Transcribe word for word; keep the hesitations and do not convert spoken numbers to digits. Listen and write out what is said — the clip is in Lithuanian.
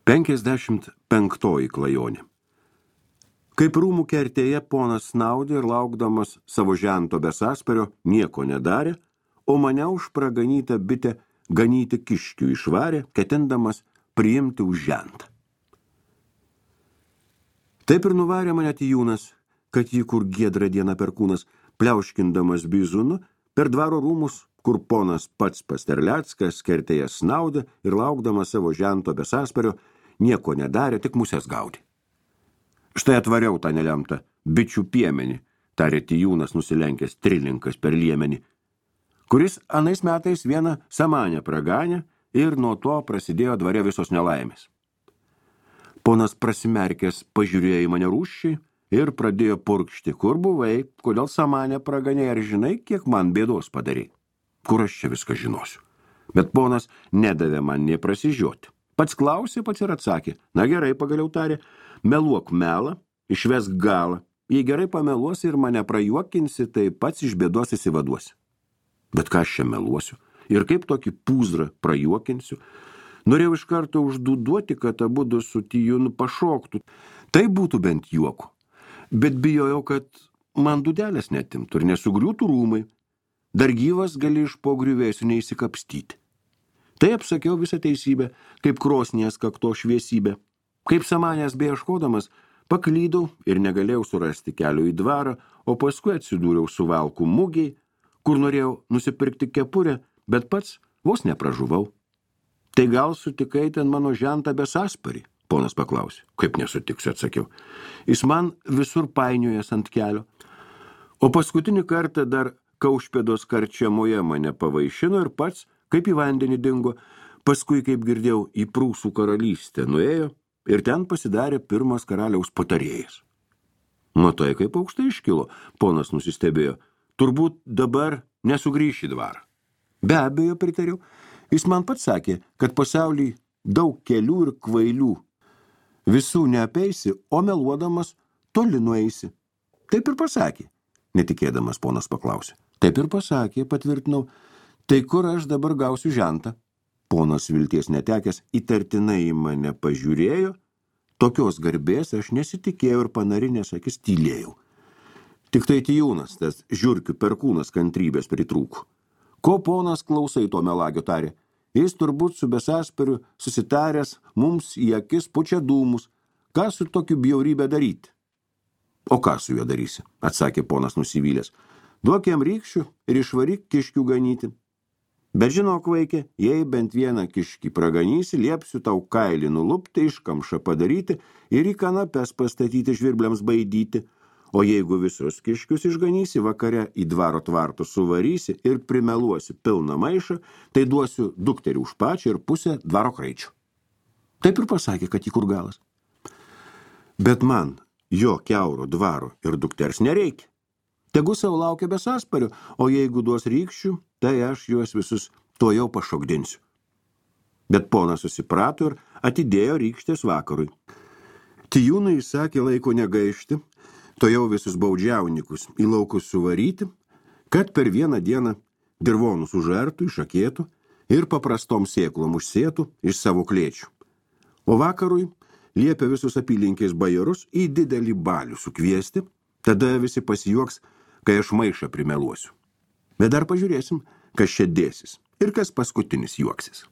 Penkiasdešimt penktoji klajonė. Kaip rūmų kertėje ponas snaudė ir laukdamas savo žento be sąspario nieko nedarė, o mane už praganytą bitę ganyti kiškių išvarė, ketindamas priimti už žentą. Taip ir nuvarė mane Tijūnas, kad jį kur giedrą dieną perkūnas, pliauškindamas bizūnu, per dvaro rūmus, kur ponas pats Pasterleckas kertėje snaudė ir laukdamas savo žento be sąspario, nieko nedarė, tik musės gaudė. Štai atvariau tą nelemtą bičių piemenį, tarė Tijūnas nusilenkęs trilinkas per liemenį, kuris anais metais vieną samanę praganė ir nuo to prasidėjo dvare visos nelaimės. Ponas prasimerkęs pažiūrėjo į mane rūsčiai ir pradėjo purkšti, kur buvai, kodėl samanę praganė, ar žinai, kiek man bėdos padarė. Kur aš čia viską žinosiu. Bet ponas nedavė man nė prasižioti. Pats klausė, pats ir atsakė. Na gerai, pagaliau tarė, meluok melą, išvesk galą. Jei gerai pameluosi ir mane prajuokinsi, tai pats iš bėdos įsivaduosi. Bet ką aš čia meluosiu? Ir kaip tokį pūzrą prajuokinsiu? Norėjau iš karto užduduoti, kad abudu su Tijūnu pašoktų. Tai būtų bent juoku. Bet bijojau, kad man dudelės netimtų ir nesugriūtų rūmai. Dar gyvas gali iš po griuvėsių neįsikapstyti. Tai apsakiau visą teisybę, kaip krosnies kakto šviesybę. Kaip samanės beieškodamas, paklydau ir negalėjau surasti kelio į dvarą, o paskui atsidūriau Suvalkų mugėj, kur norėjau nusipirkti kepurę, bet pats vos nepražuvau. Tai gal sutikai ten mano žentą be sąsparį? Ponas paklausė. Kaip nesutiksiu, atsakiau. Jis man visur painiojas ant kelio. O paskutinį kartą dar Kaušpėdos karčiamoje mane pavaišino ir pats, kaip į vandenį dingo, paskui, kaip girdėjau, į Prūsų karalystę nuėjo ir ten pasidarė pirmas karaliaus patarėjas. Nuo tai, kaip aukštai iškilo, ponas nusistebėjo. Turbūt dabar nesugrįš į dvarą. Be abejo, pritariau. Jis man pats sakė, kad pasauly daug kelių ir kvailių. Visų neapeisi, o meluodamas toli nueisi. Taip ir pasakė. Netikėdamas ponas paklausė. Taip ir pasakė, patvirtinau. Tai kur aš dabar gausiu žentą? Ponas vilties netekęs įtartinai į mane pažiūrėjo. Tokios garbės aš nesitikėjau ir panarinės akis tylėjau. Tik tai Tijūnas, tas žiurkių perkūnas kantrybės pritrūko. Ko ponas klausai to melagio tarė? Jis turbūt su besąsperiu susitaręs mums į akis pučia dūmus. Ką su tokiu bjaurybę daryti? O ką su juo darysi? Atsakė ponas nusivylęs. Duok jam rykščių ir išvaryk kiškių ganyti. Bet žinok, vaikė, jei bent vieną kiškį praganysi, liepsiu tau kailį nulupti, iškamšą padaryti ir į kanapes pastatyti žvirbliams baidyti. O jeigu visus kiškius išganysi, vakare į dvaro tvartus suvarysi ir primeluosi pilną maišą, tai duosiu dukterį už pačią ir pusę dvaro kraičių. Taip ir pasakė, kad į kur galas. Bet man jo kiauro dvaro ir dukters nereikia. Tegu savo laukia be sąspario, o jeigu duos rykščių, tai aš juos visus to jau pašokdinsiu. Bet ponas susiprato ir atidėjo rykštės vakarui. Tijūnui įsakė laiko negaišti, to jau visus baudžiaunikus į laukus suvaryti, kad per vieną dieną dirvonus užartų, išakėtų ir paprastom sėklom užsėtų iš savo klėčių. O vakarui liepė visus apylinkės bajorus į didelį balių sukviesti, tada visi pasijuoks, kai aš maišą primeluosiu. Bet dar pažiūrėsim, kas čia dėsis ir kas paskutinis juoksis.